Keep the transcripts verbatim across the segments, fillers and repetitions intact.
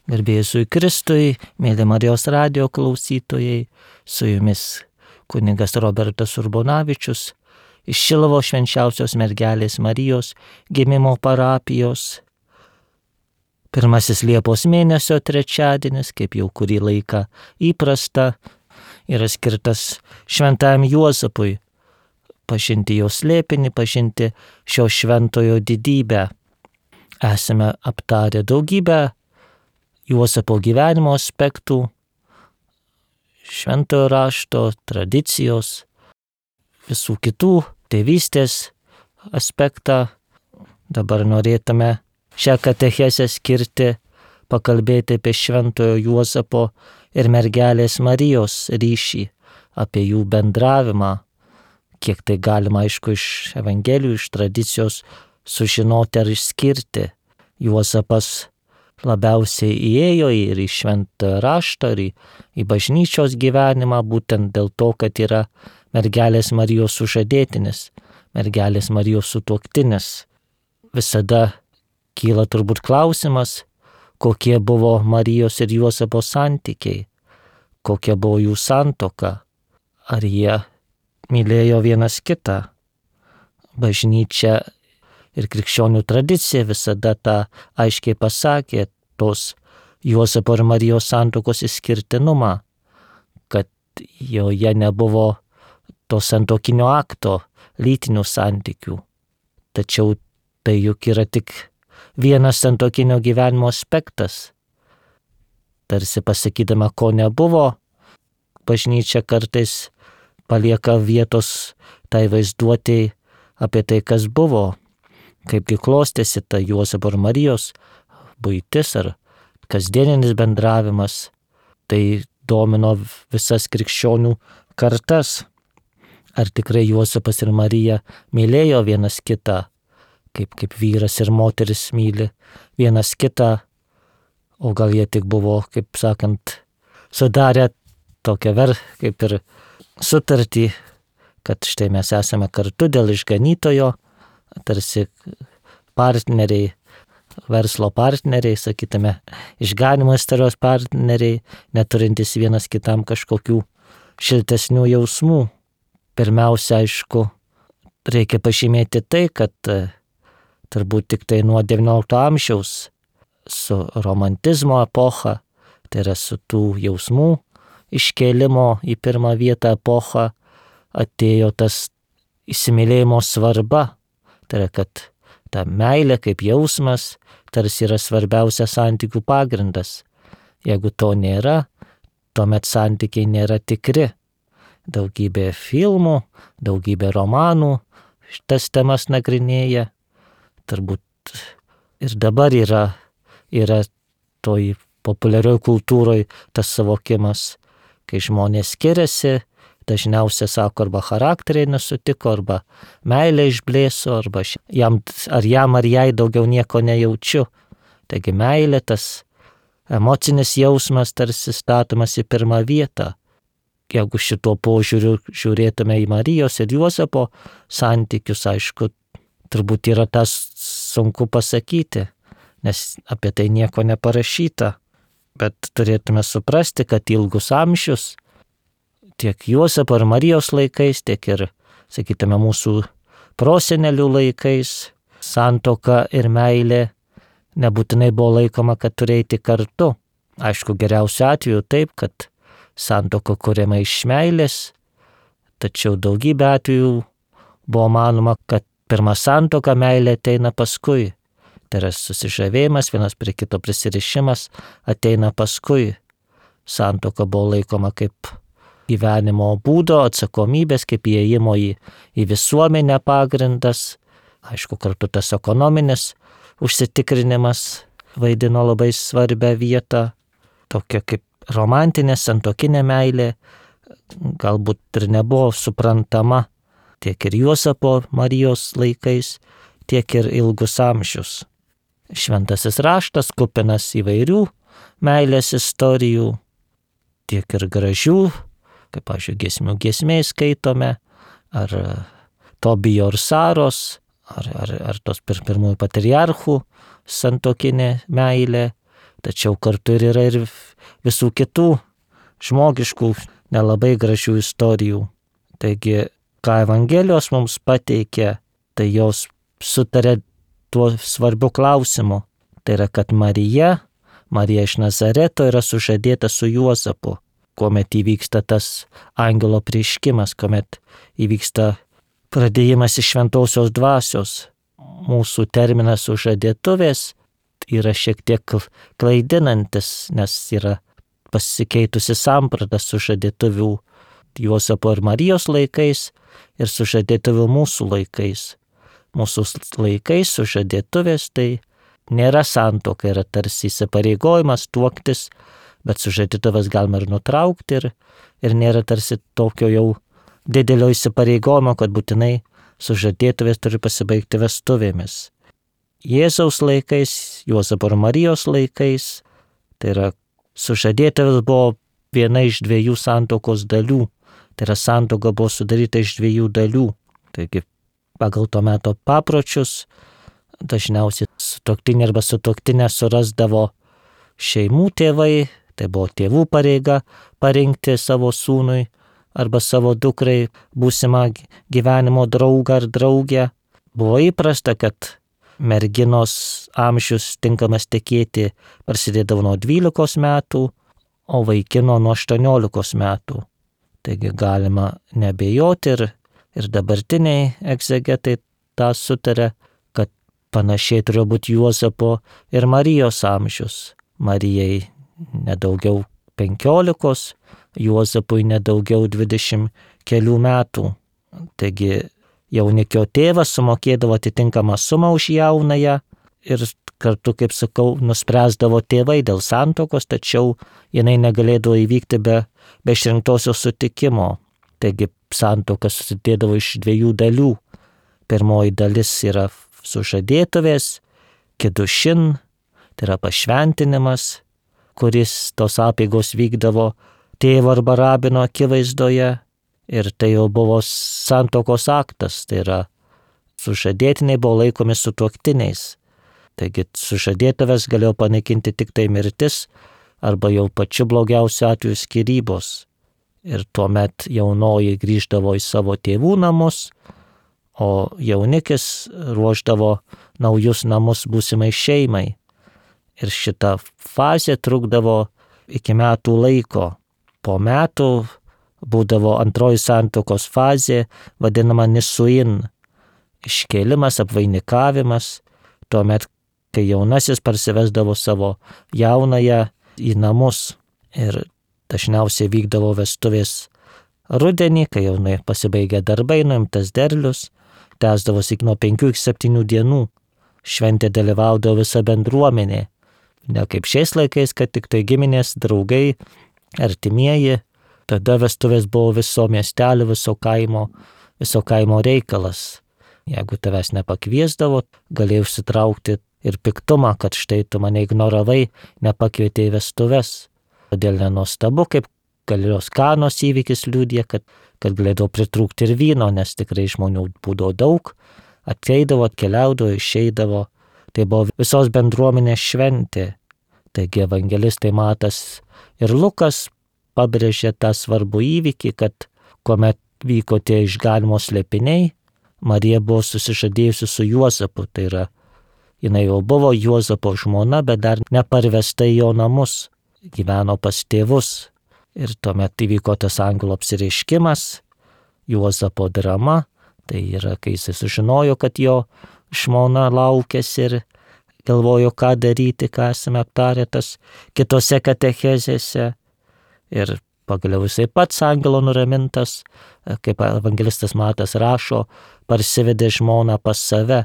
Garbė Jėzui Kristui, mėly Marijos radijo klausytojai, su jumis kunigas Robertas Urbonavičius iš Šiluvos Švenčiausios Mergelės Marijos gimimo parapijos. Pirmasis Liepos mėnesio trečiadienis, kaip jau kurį laiką įprasta, yra skirtas šventajam Juozapui, pažinti jo slėpinį, pažinti šio šventojo didybę. Esame aptarę daugybę Juozapo gyvenimo aspektų, šventojo rašto, tradicijos, visų kitų tėvystės aspektą. Dabar norėtume šią katechezę skirti, pakalbėti apie šventojo Juozapo ir mergelės Marijos ryšį, apie jų bendravimą, kiek tai galima, aišku, iš Evangelijų, iš tradicijos sužinoti ar išskirti. Juozapas labiausiai įėjo ir į šventą raštą, ir į, į bažnyčios gyvenimą, būtent dėl to, kad yra mergelės Marijos sužadėtinis, mergelės Marijos sutuoktinis. Visada kyla turbūt klausimas, kokie buvo Marijos ir Juozapo santykiai, kokia buvo jų santuoka, ar jie mylėjo vienas kitą. Bažnyčia ir krikščionių tradicija visada tą aiškiai pasakė, tos Juozapo ir Marijos santuokos išskirtinumą, kad joje nebuvo to santuokinio akto, lytinių santykių. Tačiau tai juk yra tik vienas santuokinio gyvenimo aspektas. Tarsi pasakydama, ko nebuvo, bažnyčia kartais palieka vietos tai vaizduotei apie tai, kas buvo, kaipgi klostėsi ta Juozapo ir Marijos buitis ar kasdieninis bendravimas. Tai domino visas krikščionių kartas. Ar tikrai Juozapas ir Marija mylėjo vienas kitą, kaip, kaip vyras ir moteris myli vienas kitą, o gal jie tik buvo, kaip sakant, sudarę tokią ver, kaip ir sutartį, kad štai mes esame kartu dėl išganytojo, tarsi partneriai, verslo partneriai, sakytume, išganimo istorijos partneriai, neturintys vienas kitam kažkokių šiltesnių jausmų. Pirmiausia, aišku, reikia pažymėti tai, kad turbūt tik tai nuo devyniolikto amžiaus su romantizmo epocha, tai yra su tų jausmų iškėlimo į pirmą vietą epocha, atėjo tas įsimylėjimo svarba. Tai yra, kad ta meilė kaip jausmas tarsi yra svarbiausias santykių pagrindas. Jeigu to nėra, tuomet santykiai nėra tikri. Daugybė filmų, daugybė romanų šitas temas nagrinėja. Turbūt ir dabar yra, yra toj populiarioj kultūroj tas suvokimas, kai žmonės skiriasi, dažniausiai sako, arba charakteriai nesutiko, arba meilė išblėso, arba jam, ar jam ar jai daugiau nieko nejaučiu. Taigi meilė, tas emocinis jausmas tarsi statomas į pirmą vietą. Jeigu šituo požiūriu žiūrėtume į Marijos ir Juozapo santykius, aišku, turbūt yra tas sunku pasakyti, nes apie tai nieko neparašyta. Bet turėtume suprasti, kad ilgus amžius tiek Juozapo ir Marijos laikais, tiek ir, sakytume, mūsų prosenelių laikais santuoka ir meilė nebūtinai buvo laikoma, kad turi eiti kartu. Aišku, geriausiu atveju taip, kad santuoka kuriama iš meilės, tačiau daugybė atvejų buvo manoma, kad pirma santuoka, meilė ateina paskui. Tai yra susižavėjimas, vienas prie kito prisirišimas ateina paskui. Santuoka buvo laikoma kaip gyvenimo būdo, atsakomybės, kaip įėjimo į, į visuomenę pagrindas. Aišku, kartu tas ekonominis užsitikrinimas vaidino labai svarbią vietą. Tokia kaip romantinė, santuokinė meilė galbūt ir nebuvo suprantama tiek ir Juozapo Marijos laikais, tiek ir ilgus amžius. Šventasis raštas kupinas įvairių meilės istorijų, tiek ir gražių, kaip, pavyzdžiui, giesmių giesmėj skaitome, ar Tobijo ir Saros, ar, ar, ar tos pir, pirmųjų patriarchų santuokinė meilė, tačiau kartu ir yra ir visų kitų žmogiškų, nelabai gražių istorijų. Taigi, ką Evangelijos mums pateikia, tai jos sutarė tuo svarbiu klausimu. Tai yra, kad Marija, Marija iš Nazareto yra sužadėta su Juozapu, kuomet įvyksta tas angelo apreiškimas, kuomet įvyksta pradėjimas iš šventosios dvasios. Mūsų terminas sužadėtuvės yra šiek tiek klaidinantis, nes yra pasikeitusi samprata sužadėtuvių Juozapo ir Marijos laikais ir sužadėtuvių mūsų laikais. Mūsų laikais sužadėtuvės tai nėra santuoka, yra tarsi įsipareigojimas tuoktis, bet sužadėtuvės galima ir nutraukti ir, ir nėra tarsi tokio jau didelio įsipareigojimo, kad būtinai sužadėtuvės turi pasibaigti vestuvėmis. Jėzaus laikais, Juozapo ir Marijos laikais, tai yra sužadėtuvės buvo viena iš dviejų santuokos dalių. Tai yra santuoka buvo sudaryta iš dviejų dalių. Taigi pagal to meto papročius dažniausiai sutuoktinį arba sutuoktinę surasdavo šeimų tėvai, tai buvo tėvų pareiga parinkti savo sūnui arba savo dukrai būsimą gyvenimo draugą ar draugę. Buvo įprasta, kad merginos amžius tinkamas tekėti prasidėdavo nuo dvylikos metų, o vaikino nuo aštuoniolikos metų. Taigi galima nebejoti ir, ir dabartiniai egzegetai tą sutarė, kad panašiai turėjo būti Juozapo ir Marijos amžius. Marijai nedaugiau penkiolikos, Juozapui nedaugiau dvidešimt kelių metų. Taigi jaunikio tėvas sumokėdavo atitinkamą sumą už jaunąją ir kartu, kaip sakau, nuspręsdavo tėvai dėl santuokos, tačiau jinai negalėdavo įvykti be, be išrinktosios sutikimo. Taigi santuoka susidėdavo iš dviejų dalių. Pirmoji dalis yra sužadėtuvės, kidušin, tai yra pašventinimas, kuris tos apeigos vykdavo tėvo arba rabino akivaizdoje. Ir tai jau buvo santuokos aktas, tai yra sužadėtiniai buvo laikomi sutuoktiniais. Taigi sužadėtuvės galėjo panaikinti tik tai mirtis arba jau pačiu blogiausiu atveju skyrybos. Ir tuomet jaunoji grįždavo į savo tėvų namus, o jaunikis ruošdavo naujus namus būsimai šeimai. Ir šita fazė trukdavo iki metų laiko. Po metų būdavo antroji santuokos fazė, vadinama nisuin, iškėlimas, apvainikavimas, tuomet, kai jaunasis parsivesdavo savo jaunąją į namus ir dažniausiai vykdavo vestuvės rudenį, kai jaunai pasibaigė darbai, nuimtas derlius, tęsdavosi nuo penkių iki septynių dienų. Šventė dalyvaudavo visa bendruomenė, ne kaip šiais laikais, kad tik tai giminės, draugai, artimieji. Tada vestuvės buvo viso miestelio, viso kaimo, viso kaimo reikalas. Jeigu tavęs nepakviesdavo, galėjai užsitraukti ir piktumą, kad štai tu mane ignoravai, nepakvietei vestuves. Todėl nenuostabu, kaip Galilėjos Kanos įvykis liudija, kad, kad galėdavo pritrūkti ir vyno, nes tikrai žmonių būdavo daug, ateidavo, atkeliaudavo, išeidavo. Tai buvo visos bendruomenės šventė. Taigi evangelistai Matas ir Lukas pabrėžė tą svarbų įvykį, kad kuomet vyko tie išganimo slėpiniai, Marija buvo susižadėjusi su Juozapu, tai yra, jinai jau buvo Juozapo žmona, bet dar neparvesta į jo namus, gyveno pas tėvus. Ir tuomet įvyko tas angelo apsireiškimas, Juozapo drama, tai yra, kai jis sužinojo, kad jo žmona laukėsi ir galvojo, ką daryti, ką esame aptarę tas kitose katechezėse. Ir pagaliau jisai pats angelo nuramintas, kaip evangelistas Matas rašo, parsivedė žmoną pas save.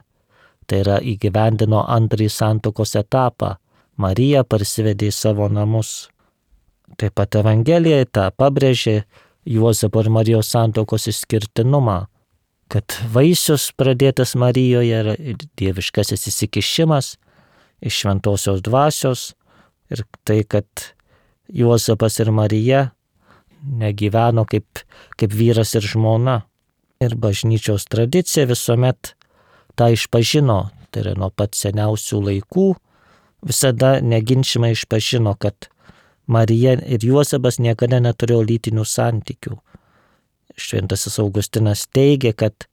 Tai yra įgyvendino antrąjį santuokos etapą. Marija parsivedė į savo namus. Taip pat Evangelija tą pabrėžė Juozapo ir Marijos santuokos išskirtinumą, kad vaisius pradėtas Marijoje yra dieviškasis įsikišimas iš šventosios dvasios ir tai, kad Juozapas ir Marija negyveno kaip, kaip vyras ir žmona. Ir bažnyčios tradicija visuomet tą išpažino, tai yra nuo pat seniausių laikų, visada neginčimai išpažino, kad Marija ir Juozapas niekada neturėjo lytinių santykių. Šventasis Augustinas teigia, kad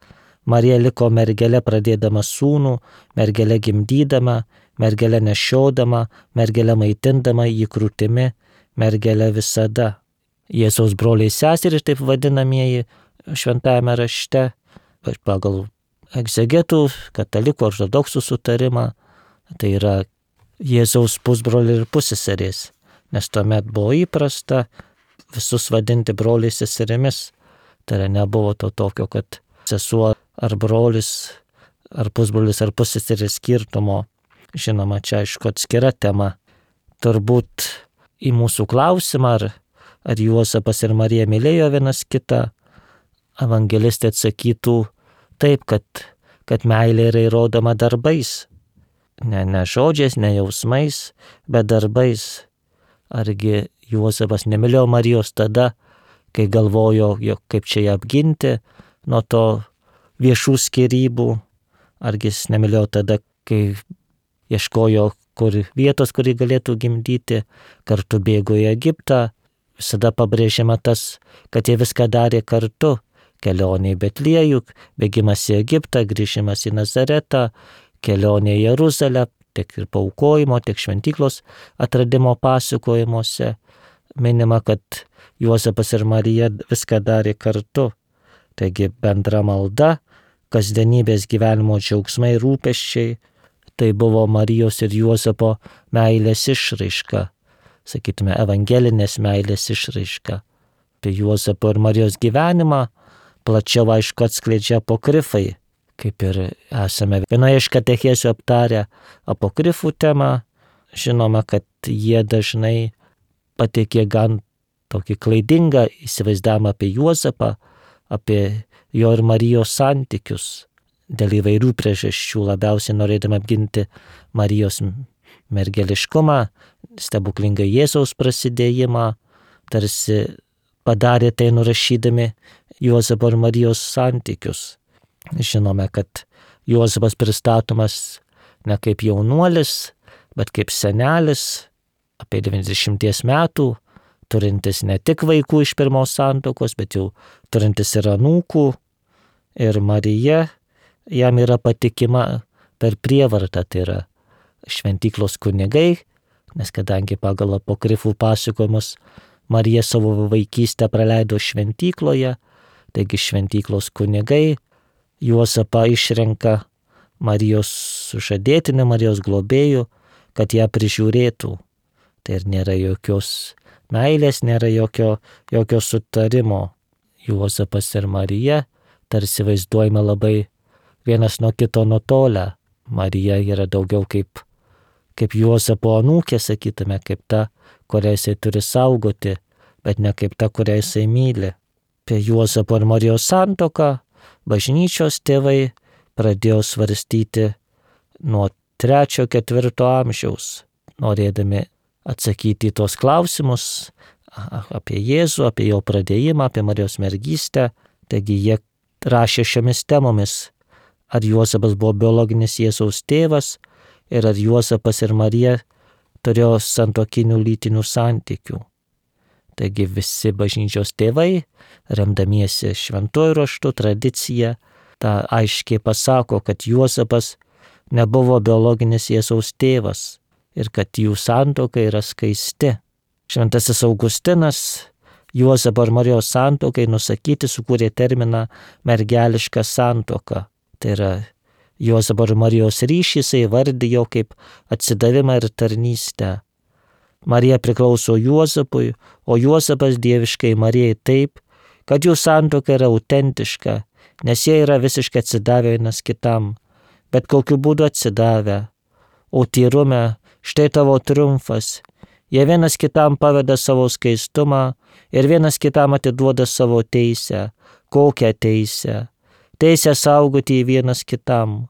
Marija liko mergele pradėdama sūnų, mergele gimdydama, mergele nešiodama, mergele maitindama jį krūtimi, mergele visada. Jėzaus broliai seserys, taip vadinamieji šventajame rašte, pagal egzegetų, katalikų ortodoksų sutarimą, tai yra Jėzaus pusbroliai ir pusseserės, nes tuomet buvo įprasta visus vadinti broliais seserimis. Tai yra nebuvo to tokio, kad sesuo ar brolis, ar pusbrolis, ar pusseseris skirtumo. Žinoma, čia aišku atskira tema. Turbūt į mūsų klausimą, ar, ar Juozapas ir Marija mylėjo vienas kitą, evangelistai atsakytų taip, kad, kad meilė yra įrodoma darbais. Ne, ne žodžiais, ne jausmais, bet darbais. Argi Juozapas nemylėjo Marijos tada, kai galvojo, jog kaip čia ją apginti nuo to viešų skyrybų, argi jis nemylėjo tada, kai ieškojo kur vietos, kurį galėtų gimdyti, kartu bėgo į Egiptą, visada pabrėžiama tas, kad jie viską darė kartu, kelionė į Betliejų, bėgimas į Egiptą, grįžimas į Nazaretą, kelionė į Jeruzalę, tiek ir paaukojimo, tiek šventyklos atradimo pasakojimuose minima, kad Juozapas ir Marija viską darė kartu. Taigi bendra malda, kasdienybės gyvenimo džiaugsmai, rūpesčiai, tai buvo Marijos ir Juozapo meilės išraiška, sakytume, evangelinės meilės išraiška. Apie Juozapo ir Marijos gyvenimą plačiau aišku atskleidžia apokrifai, kaip ir esame vienoje iš katechezių aptarę apokrifų temą. Žinoma, kad jie dažnai pateikė gan tokį klaidingą įsivaizdavimą apie Juozapą, apie jo ir Marijos santykius, dėl įvairių priežasčių, labiausiai norėdami apginti Marijos mergeliškumą, stebuklingą Jėzaus prasidėjimą, tarsi padarė tai nurašydami Juozapo ir Marijos santykius. Žinome, kad Juozapas pristatomas ne kaip jaunuolis, bet kaip senelis, apie devyniasdešimties metų, turintis ne tik vaikų iš pirmos santuokos, bet jau turintis ir anūkų. Ir Marija jam yra patikima per prievartą, tai yra šventyklos kunigai, nes kadangi pagal apokrifų pasakojimus Marija savo vaikystę praleido šventykloje, taigi šventyklos kunigai Juozapą išrenka Marijos sužadėtiniu, Marijos globėju, kad ją prižiūrėtų. Tai ir nėra jokios meilės, nėra jokio, jokio sutarimo. Juozapas ir Marija tarsi vaizduojama labai vienas nuo kito nutolę. Marija yra daugiau kaip, kaip Juozapo anūkė, sakytume, kaip ta, kurią jisai turi saugoti, bet ne kaip ta, kurią jisai myli. Apie Juozapo ir Marijos santuoką bažnyčios tėvai pradėjo svarstyti nuo trečio, ketvirto amžiaus, norėdami atsakyti į tos klausimus apie Jėzų, apie jo pradėjimą, apie Marijos mergystę. Taigi jie rašė šiomis temomis, ar Juozapas buvo biologinis Jėzaus tėvas ir ar Juozapas ir Marija turėjo santuokinių lytinių santykių. Taigi visi bažnyčios tėvai, remdamiesi šventuoju raštu, tradicija, tą aiškiai pasako, kad Juozapas nebuvo biologinis Jėzaus tėvas ir kad jų santuoka yra skaisti. Šventasis Augustinas Juozapo ir Marijos santuokai nusakyti sukūrė terminą mergeliška santuoka. Tai yra Juozapo ir Marijos ryšį jisai įvardijo kaip atsidavimą ir tarnystę. Marija priklauso Juozapui, o Juozapas dieviškai Marijai taip, kad jų santuoka yra autentiška, nes jie yra visiškai atsidavę vienas kitam, bet kokiu būdu atsidavę. O tyrume, štai tavo triumfas, jie vienas kitam paveda savo skaistumą ir vienas kitam atiduoda savo teisę. Kokią teisę? Teisę saugoti vienas kitam.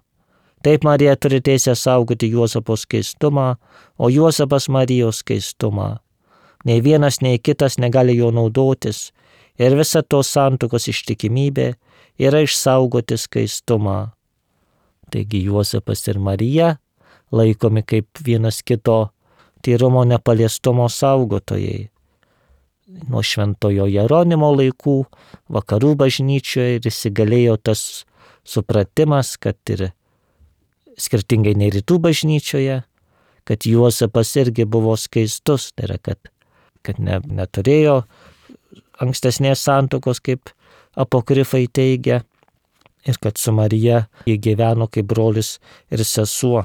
Taip Marija turi teisę saugoti Juozapo skaistumą, o Juozapas Marijos skaistumą. Nei vienas, nei kitas negali jo naudotis ir visa tos santuokos ištikimybė yra išsaugoti skaistumą. Taigi Juozapas ir Marija laikomi kaip vienas kito tyrumo nepaliestumo saugotojai. Nuo šventojo Jeronimo laikų vakarų bažnyčioje ir įsigalėjo tas supratimas, kad ir skirtingai nei rytų bažnyčioje, kad Juozapas irgi buvo skaistus, tai yra, kad, kad ne, neturėjo ankstesnės santuokos, kaip apokrifai teigia, ir kad su Marija jie gyveno kaip brolis ir sesuo.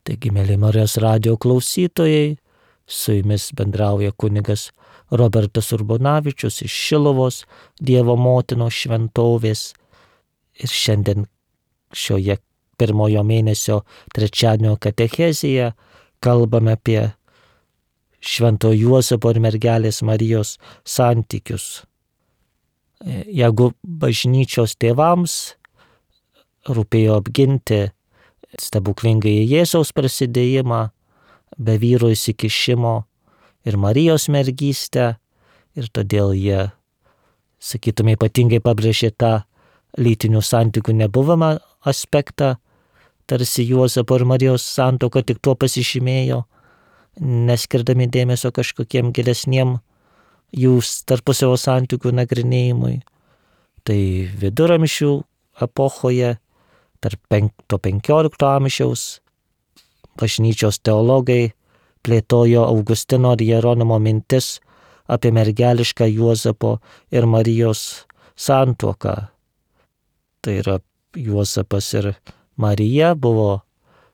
Taigi, mėly Marijos radijo klausytojai, su jumis bendrauja kunigas Robertas Urbonavičius iš Šiluvos Dievo motinos šventovės. Ir šiandien šioje pirmojo mėnesio trečiadienio katechezėje kalbame apie Švento Juozapo ir mergelės Marijos santykius. Jeigu bažnyčios tėvams rūpėjo apginti stebuklingąjį Jėzaus prasidėjimą, be vyro įsikišimo ir Marijos mergystę, ir todėl jie, sakytume, ypatingai pabrėžė tą lytinių santykių nebuvimą aspektą, tarsi Juozapo ir Marijos santuoka tik tuo pasižymėjo, neskirdami dėmesio kažkokiem gilesniem jų tarpusavio santykių nagrinėjimui. Tai viduramžių epochoje, tarp penkto penkiolikto amžiaus, bažnyčios teologai plėtojo Augustino ir Jeronimo mintis apie mergelišką Juozapo ir Marijos santuoką. Tai yra, Juozapas ir Marija buvo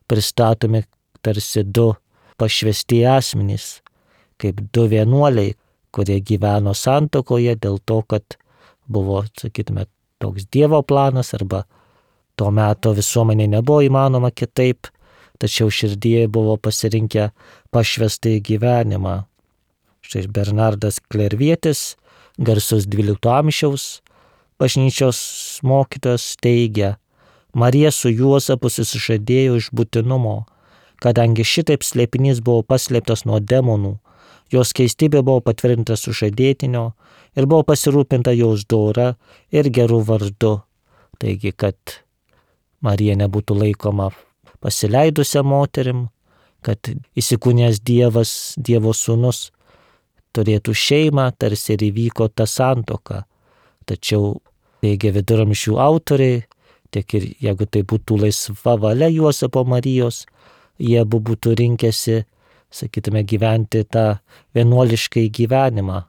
pristatomi tarsi du pašvesti asmenys, kaip du vienuoliai, kurie gyveno santuokoje dėl to, kad buvo, sakytume, toks Dievo planas, arba to meto visuomenė nebuvo įmanoma kitaip, tačiau širdyje buvo pasirinkę pašvestąjį gyvenimą. Štai Bernardas Klervietis, garsus dvylikto amžiaus bažnyčios mokytojas, teigia: Marija su Juozapu susižadėjo iš būtinumo, kadangi šitaip slėpinys buvo paslėptas nuo demonų, jos keistybė buvo patvirtinta sužadėtinio ir buvo pasirūpinta jos dora ir gerų vardu. Taigi, kad Marija nebūtų laikoma pasileidusią moterim, kad įsikūnijęs Dievas, Dievo sūnus, turėtų šeimą, tarsi ir įvyko ta santuoka. Tačiau, teigia viduramžių autoriai, tiek ir jeigu tai būtų laisva valia Juozapo Marijos, jie abu būtų rinkęsi, sakytume, gyventi tą vienuoliškai gyvenimą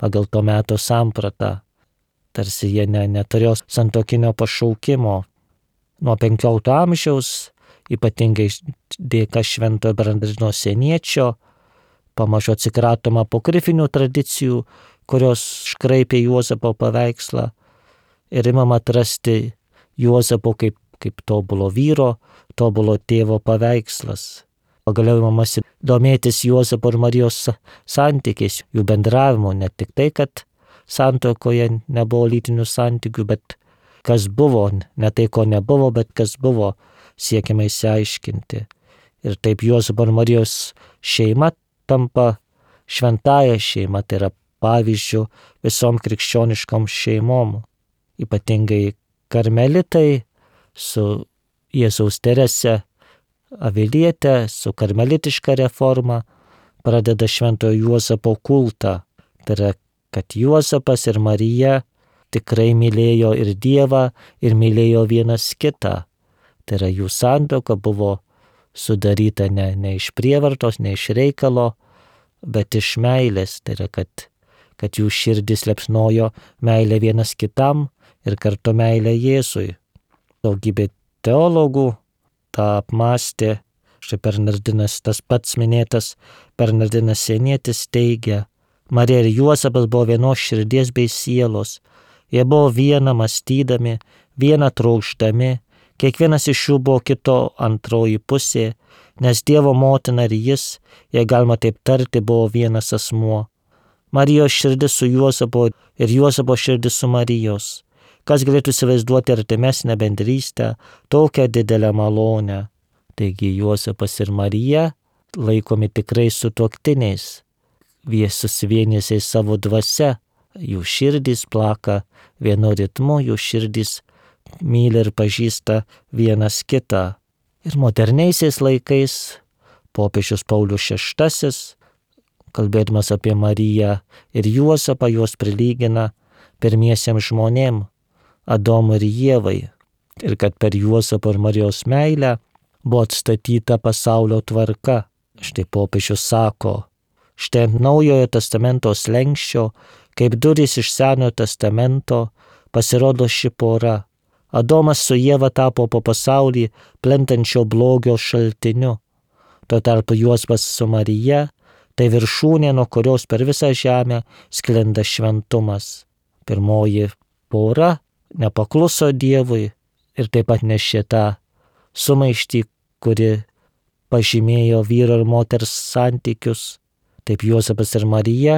pagal to meto sampratą. Tarsi jie ne, neturėjo santuokinio pašaukimo. Nuo penkiolikto amžiaus, ypatingai dėka Šventojo Bernardino Sieniečio, pamažu atsikratoma apokrifinių tradicijų, kurios škraipė Juozapo paveikslą, ir imama atrasti Juozapo kaip, kaip tobulo vyro, tobulo tėvo paveikslas. Pagaliau imamasi domėtis Juozapo ir Marijos santykiais, jų bendravimu, ne tik tai, kad santuokoje nebuvo lytinių santykių, bet kas buvo, ne tai, ko nebuvo, bet kas buvo, siekiama išsiaiškinti. Ir taip Juozapo ir Marijos šeima tampa šventąja šeima, tai yra pavyzdžių visom krikščioniškom šeimom. Ypatingai karmelitai su Jėzaus Terese Avilietė, su karmelitiška reforma, pradeda Šventojo Juozapo kultą. Tai yra, kad Juozapas ir Marija tikrai mylėjo ir Dievą, ir mylėjo vienas kitą. Tai yra, jų santuoka buvo sudaryta ne, ne iš prievartos, ne iš reikalo, bet iš meilės. Tai yra, kad, kad jų širdis liepsnojo meilę vienas kitam ir kartu meilę Jėzui. Daugybė teologų tą apmąstė. Štai Bernardinas, tas pats minėtas Bernardinas Sienietis, teigia: Marija ir Juozapas buvo vienos širdies bei sielos. Jie buvo viena mąstydami, viena trokšdami, kiekvienas iš jų buvo kito antroji pusė, nes Dievo motina ir jis, jei galima taip tarti, buvo vienas asmuo. Marijos širdis su Juozapo ir Juozapo širdis su Marijos. Kas galėtų įsivaizduoti artimesnę bendrystę, tokią didelę malonę. Taigi Juozapas ir Marija laikomi tikrai sutuoktiniais, jie susivienėsiai savo dvasia, jų širdys plaka vienu ritmu, jų širdys myli ir pažįsta vienas kitą. Ir moderniaisiais laikais popiežius Paulius šeštasis, kalbėdamas apie Mariją ir Juozapą, juos prilygina pirmiesiems žmonėm, Adomui ir Ievai. Ir kad per Juozapo ir Marijos meilę buvo atstatyta pasaulio tvarka. Štai popiežius sako, štai ant Naujojo testamento slenksčio, kaip durys iš Senojo testamento, pasirodo ši pora. Adomas su Ieva tapo po pasaulį plintančio blogio šaltiniu. Tuo tarpu Juozapas su Marija tai viršūnė, nuo kurios per visą žemę sklinda šventumas. Pirmoji pora nepakluso Dievui ir taip pat nešė tą sumaištį, kuri pažymėjo vyro ir moters santykius. Taip Juozapas ir Marija,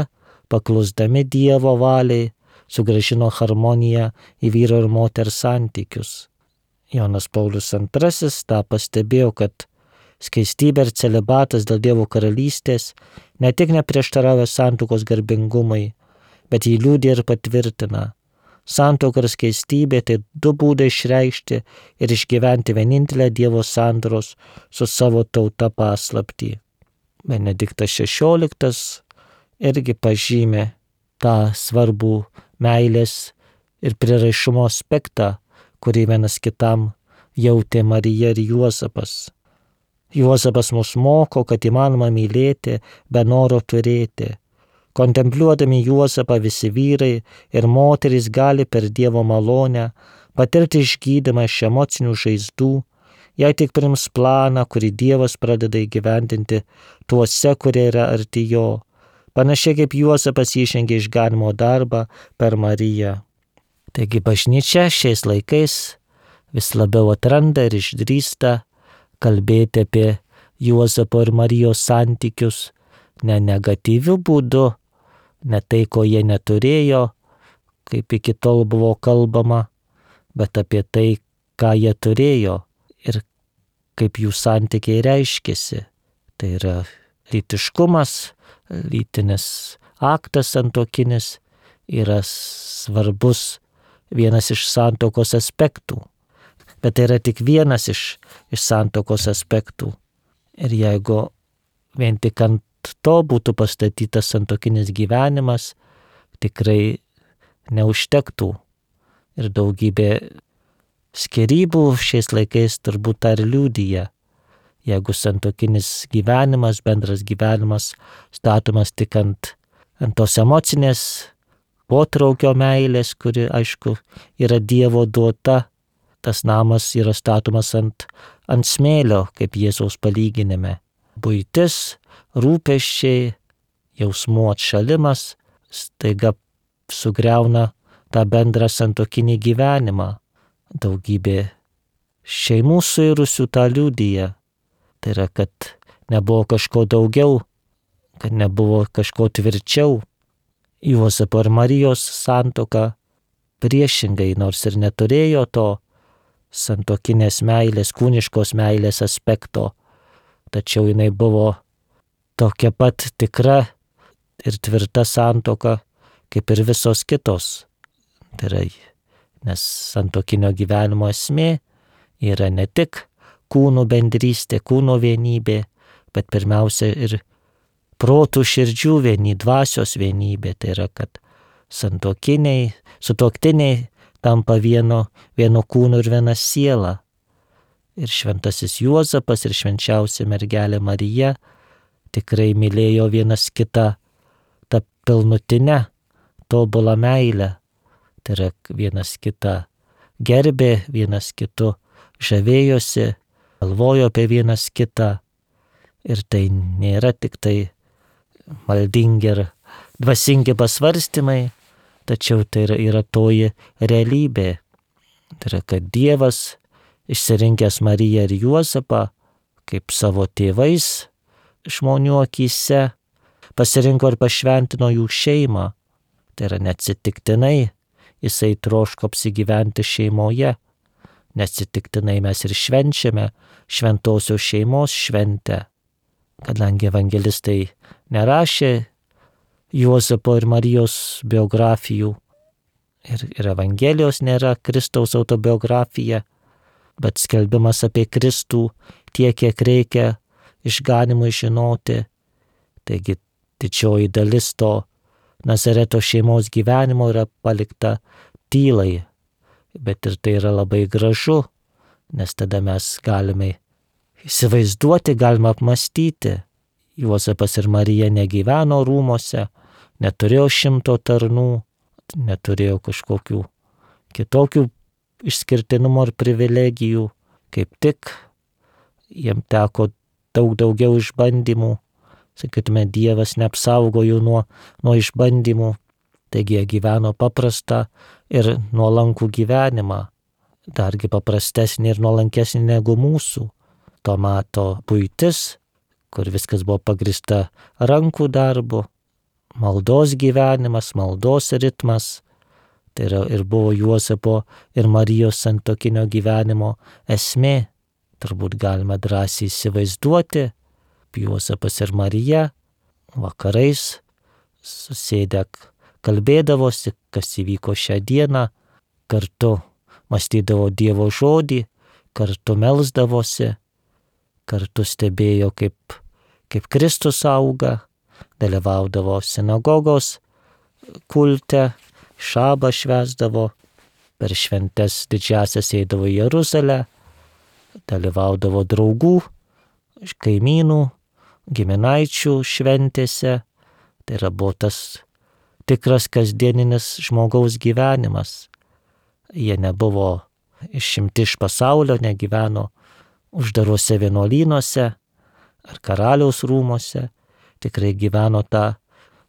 paklusdami Dievo valiai, sugrąžino harmoniją į vyro ir moters santykius. Jonas Paulius antrasis tą pastebėjo, kad skaistybė ir celibatas dėl Dievo karalystės ne tik neprieštarauja santuokos garbingumui, bet jį liudija ir patvirtina. Santuoka ir skaistybė tai du būdai išreikšti ir išgyventi vienintelę Dievo sandoros su savo tauta paslaptį. Benediktas šešioliktas irgi pažymė tą svarbų meilės ir prieraišumo aspektą, kurį vienas kitam jautė Marija ir Juozapas. Juozapas mus moko, kad įmanoma mylėti be noro turėti. Kontempliuodami Juozapą visi vyrai ir moterys gali per Dievo malonę patirti išgydymą iš emocinių žaizdų, jei tik priims planą, kurį Dievas pradeda įgyvendinti tuose, kurie yra arti jo, panašiai kaip Juozapas įžengė išganymo darbą per Mariją. Taigi bažnyčia šiais laikais vis labiau atranda ir išdrįsta kalbėti apie Juozapo ir Marijos santykius ne negatyviu būdu, ne tai, ko jie neturėjo, kaip iki tol buvo kalbama, bet apie tai, ką jie turėjo ir kaip jų santykiai reiškėsi. Tai yra lytiškumas, lytinis aktas santuokinis yra svarbus vienas iš santuokos aspektų. Bet tai yra tik vienas iš, iš santuokos aspektų. Ir jeigu vien tik ant to būtų pastatytas santuokinis gyvenimas, tikrai neužtektų. Ir daugybė skyrybų šiais laikais turbūt tą ir liudija. Jeigu santuokinis gyvenimas, bendras gyvenimas statomas tik ant, ant tos emocinės potraukio meilės, kuri, aišku, yra Dievo duota, tas namas yra statomas ant, ant smėlio, kaip Jėzaus palyginime. Buitis, rūpesčiai, jausmų atšalimas staiga sugriauna tą bendrą santuokinį gyvenimą. Daugybė šeimų suirusių tą liudija. Tai yra, kad nebuvo kažko daugiau, kad nebuvo kažko tvirčiau. Juozapo ir Marijos santuoka priešingai, nors ir neturėjo to santuokinės meilės, kūniškos meilės aspekto, tačiau jinai buvo tokia pat tikra ir tvirta santuoka, kaip ir visos kitos. Tai yra, nes santuokinio gyvenimo esmė yra ne tik kūnų bendrystė, kūno vienybė, bet pirmiausia ir protų širdžių vienybė, dvasios vienybė. Tai yra, kad santuokiniai, sutuoktiniai tampa vieno, vieno kūno ir viena siela. Ir šventasis Juozapas ir švenčiausia mergelė Marija tikrai mylėjo vienas kitą tą pilnutinę, tobulą meilę. Tai yra, vienas kitą gerbė, vienas kitu žavėjosi, galvojo apie vienas kitą. Ir tai nėra tik tai maldingi ir dvasingi pasvarstymai, tačiau tai yra, yra toji realybė. Tai yra, kad Dievas, išsirinkęs Mariją ir Juozapą kaip savo tėvais žmonių akyse, pasirinko ir pašventino jų šeimą. Tai yra, neatsitiktinai jisai troško apsigyventi šeimoje. Neatsitiktinai mes ir švenčiame šventosios šeimos šventę. Kadangi evangelistai nerašė Juozapo ir Marijos biografijų ir, ir Evangelijos nėra Kristaus autobiografija, bet skelbimas apie Kristų tiek, kiek reikia išganimui žinoti. Taigi didžioji dalis to Nazareto šeimos gyvenimo yra palikta tylai, bet ir tai yra labai gražu, nes tada mes galime įsivaizduoti, galime apmastyti. Juozapas ir Marija negyveno rūmose, neturėjo šimto tarnų, neturėjo kažkokių kitokių išskirtinumo ir privilegijų, kaip tik jiem teko daug daugiau išbandymų. Sakytume, Dievas neapsaugojo nuo, nuo išbandymų, taigi jie gyveno paprastą ir nuolankų gyvenimą, dargi paprastesnį ir nuolankesnį negu mūsų. To meto buitis, kur viskas buvo pagrįsta rankų darbu, maldos gyvenimas, maldos ritmas, tai yra ir buvo Juozapo ir Marijos santuokinio gyvenimo esmė. Turbūt galima drąsiai įsivaizduoti, Juozapas ir Marija vakarais susėdę kalbėdavosi, kas įvyko šią dieną, kartu mąstydavo Dievo žodį, kartu melsdavosi, kartu stebėjo, kaip, kaip Kristus auga, dalyvaudavo sinagogos kulte, šabą švęsdavo, per šventes didžiasias eidavo į Jeruzalę, dalyvaudavo draugų, kaimynų, giminaičių šventėse. Tai yra buvo tas tikras kasdieninis žmogaus gyvenimas. Jie nebuvo išimti iš pasaulio, negyveno uždaruose vienuolynuose ar karaliaus rūmuose, tikrai gyveno tą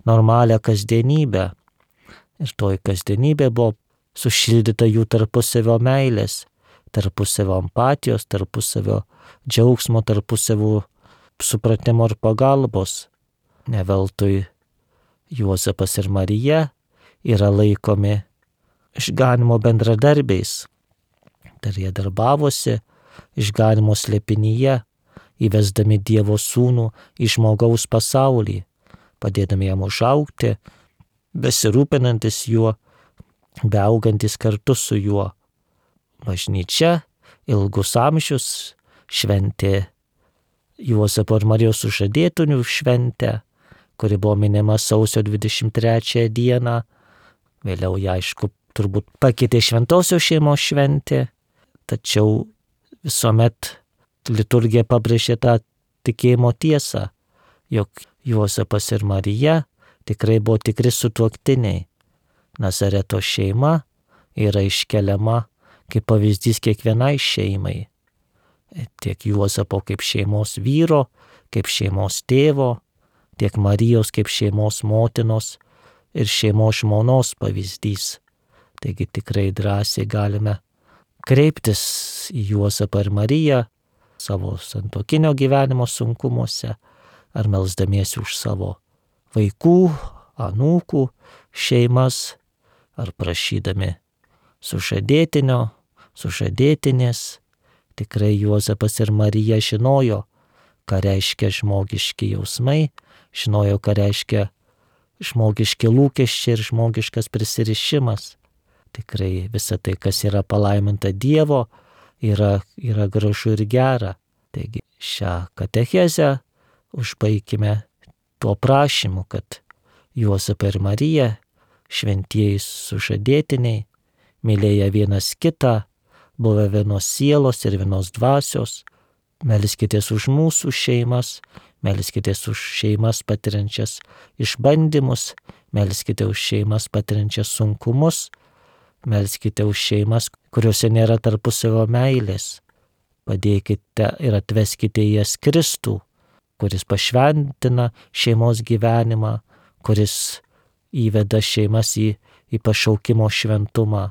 normalią kasdienybę. Ir toji kasdienybė buvo sušildyta jų tarpusavio meilės, tarpusavio empatijos, tarpusavio džiaugsmo, tarpusavio supratimo ir pagalbos. Ne veltui Juozapas ir Marija yra laikomi išganimo bendradarbiais. Dar jie darbavosi išganimo slėpinyje, įvesdami Dievo sūnų į žmogaus pasaulį, padėdami jam užaugti, besirūpinantis juo, beaugantis kartu su juo. Bažnyčia ilgus amžius šventė Juozapo ir Marijos sužadėtinių šventę, kuri buvo minima sausio dvidešimt trečiąją dieną. Vėliau ją, aišku, turbūt pakeitė šventosios šeimos šventė, tačiau visuomet liturgija pabrėžė tą tikėjimo tiesą, jog Juozapas ir Marija tikrai buvo tikri sutuoktiniai. Nazareto šeima yra iškeliama kaip pavyzdys kiekvienai šeimai. Tiek Juozapo kaip šeimos vyro, kaip šeimos tėvo, tiek Marijos kaip šeimos motinos ir šeimos žmonos pavyzdys. Taigi tikrai drąsiai galime kreiptis į Juozapą ir Mariją savo santuokinio gyvenimo sunkumuose ar melsdamiesi už savo vaikų, anūkų šeimas, ar prašydami sužadėtinio, sužadėtinės. Tikrai Juozapas ir Marija žinojo, ką reiškia žmogiški jausmai, žinojo, ką reiškia žmogiški lūkesčiai ir žmogiškas prisirišimas. Tikrai visa tai, kas yra palaiminta Dievo, yra, yra gražu ir gera. Taigi šią katechezę užbaikime tuo prašymu, kad Juozapą ir Mariją, šventieji sužadėtiniai, mylėję vienas kitą, buvę vienos sielos ir vienos dvasios, melskitės už mūsų šeimas, melskitės už šeimas patiriančias išbandymus, melskite už šeimas patiriančias sunkumus, melskite už šeimas, kuriuose nėra tarpusavio meilės. Padėkite ir atveskite į jas Kristų, kuris pašventina šeimos gyvenimą, kuris įveda šeimas į, į pašaukimo šventumą.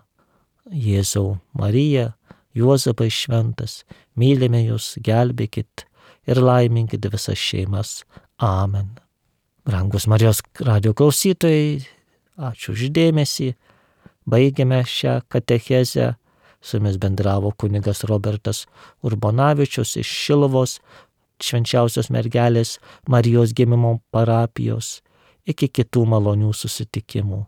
Jėzau, Marija, Juozapai šventas, mylime jūs, gelbėkit ir laiminkit visas šeimas. Amen. Brangus Marijos radijo klausytojai, ačiū už dėmesį. Baigiame šią katechezę. Su jumis bendravo kunigas Robertas Urbonavičius iš Šiluvos Švenčiausios mergelės Marijos gimimo parapijos. Iki kitų malonių susitikimų.